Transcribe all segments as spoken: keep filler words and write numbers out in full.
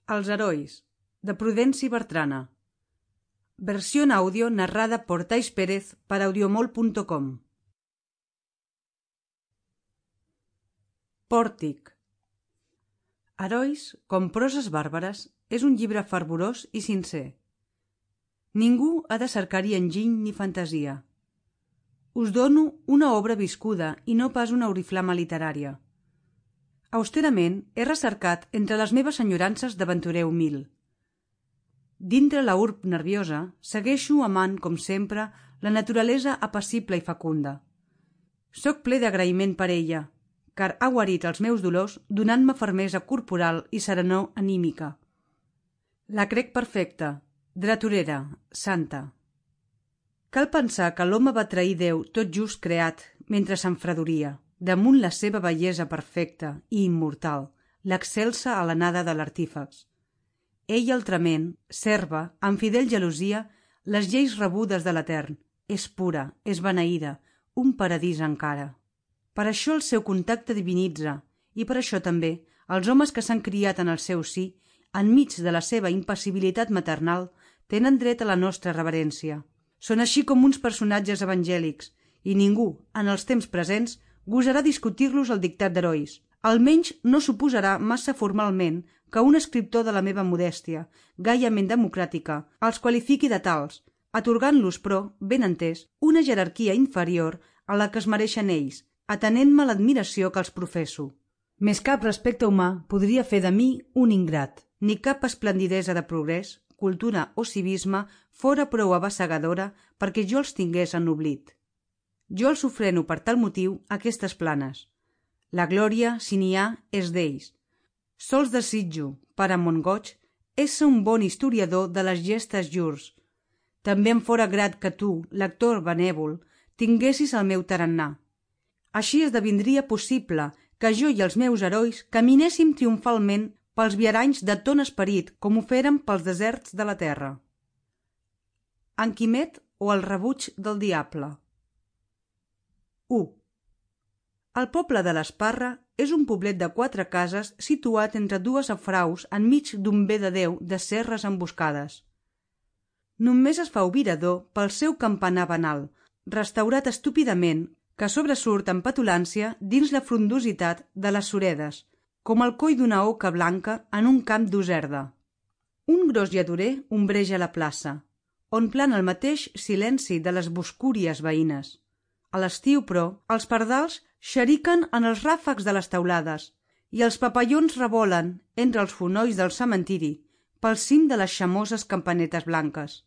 Els herois, de Prudenci Bertrana. Versió en audio narrada por Tais Pérez para audiomol punto com. Pòrtic. Herois, com proses bàrbares, és un llibre fervorós i sincer. Ningú ha de cercar-hi enginy ni fantasia. Us dono una obra viscuda i no pas una oriflama literària. Austerament he recercat entre les meves enyorances d'aventurer humil. Dintre la urb nerviosa segueixo amant, com sempre, la naturalesa apacible i fecunda. Soc ple d'agraïment per ella, car ha guarit els meus dolors donant-me fermesa corporal i serenor anímica. La crec perfecta, dreturera, santa. Cal pensar que l'home va trair Déu tot just creat mentre s'enfredoria, damunt la seva bellesa perfecta i immortal, l'excelsa alenada de l'artífex. Ell altrament serva, amb fidel gelosia, les lleis rebudes de l'Etern. És pura, és beneïda, un paradís encara. Per això el seu contacte divinitza, i per això també els homes que s'han criat en el seu si, enmig de la seva impassibilitat maternal, tenen dret a la nostra reverència. Són així com uns personatges evangèlics, i ningú, en els temps presents, gosarà discutir-los el dictat d'herois. Almenys no suposarà massa formalment que un escriptor de la meva modèstia, gaiament democràtica, els qualifiqui de tals, atorgant-los, però, ben entès, una jerarquia inferior a la que es mereixen ells, atenent-me l'admiració que els professo. Més cap respecte humà podria fer de mi un ingrat, ni cap esplendidesa de progrés, cultura o civisme fora prou abassegadora perquè jo els tingués en oblit. Jo els ofreno per tal motiu aquestes planes. La glòria, si n'hi ha, és d'ells. Sols desitjo, per a mon goig, ésser un bon historiador de les gestes llurs. També em fora grat que tu, lector benèvol, tinguessis el meu tarannà. Així esdevindria possible que jo i els meus herois caminéssim triomfalment pels viaranys de ton esperit com ho fèrem pels deserts de la terra. En Quimet o el rebuig del diable. u. El poble de l'Esparra és un poblet de quatre cases situat entre dues afraus enmig d'un bé de Déu de serres emboscades. Només es fa obirador pel seu campanar banal, restaurat estúpidament, que sobresurt en petulància dins la frondositat de les suredes, com el coll d'una oca blanca en un camp d'userda. Un gros lladorer ombreja la plaça, on plana el mateix silenci de les boscúries veïnes. A l'estiu, però, els pardals xeriquen en els ràfecs de les teulades i els papallons revolen entre els fonolls del cementiri pel cim de les xamoses campanetes blanques.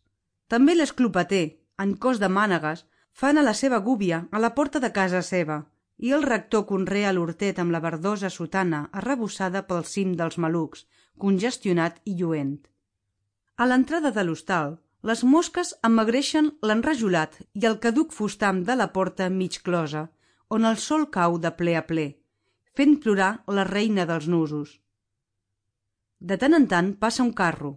També l'esclopater, en cos de mànegues, fan a la seva gúbia a la porta de casa seva, i el rector conrea l'hortet amb la verdosa sotana arrebossada pel cim dels malucs, congestionat i lluent. A l'entrada de l'hostal, les mosques emmagreixen l'enrajolat i el caduc fustam de la porta mig closa, on el sol cau de ple a ple, fent plorar la reina dels nusos. De tant en tant passa un carro,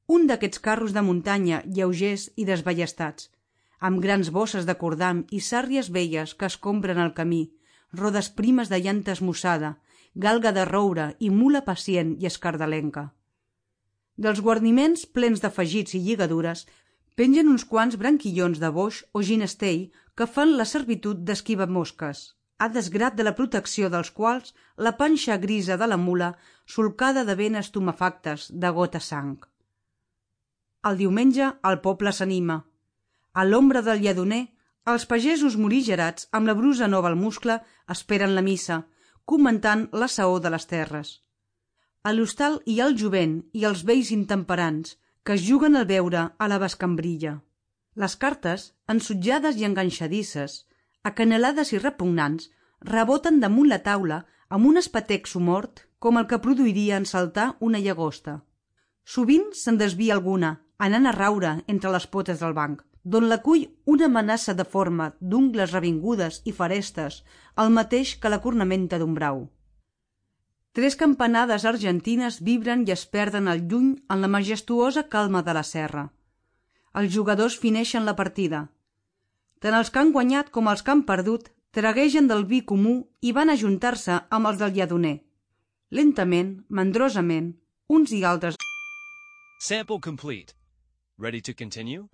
un d'aquests carros de muntanya lleugers i desballestats, amb grans bosses de cordam i sàrries velles que escombren el camí, rodes primes de llanta esmussada, galga de roure i mula pacient i escardalenca. Dels guarniments plens d'afegits i lligadures pengen uns quants branquillons de boix o ginestell que fan la servitud d'esquiva-mosques, a desgrat de la protecció dels quals la panxa grisa de la mula solcada de venes tumefactes de gota sang. El diumenge el poble s'anima. A l'ombra del lladoner, els pagesos morigerats amb la brusa nova al muscle esperen la missa, comentant la saó de les terres. A l'hostal hi ha el jovent i els vells intemperants, que es juguen al beure a la bescambrilla. Les cartes, ensutjades i enganxadisses, acanelades i repugnants, reboten damunt la taula amb un espetec somort com el que produiria en saltar una llagosta. Sovint se'n desvia alguna, anant a raure entre les potes del banc, d'on la cull una amenaça de forma d'ungles revingudes i farestes, el mateix que la cornamenta d'un brau. Tres campanades argentines vibren i es perden al lluny en la majestuosa calma de la serra. Els jugadors fineixen la partida. Tant els que han guanyat com els que han perdut traguegen del vi comú i van ajuntar-se amb els del lladoner. Lentament, mandrosament, uns i altres Sample complete. Ready to continue?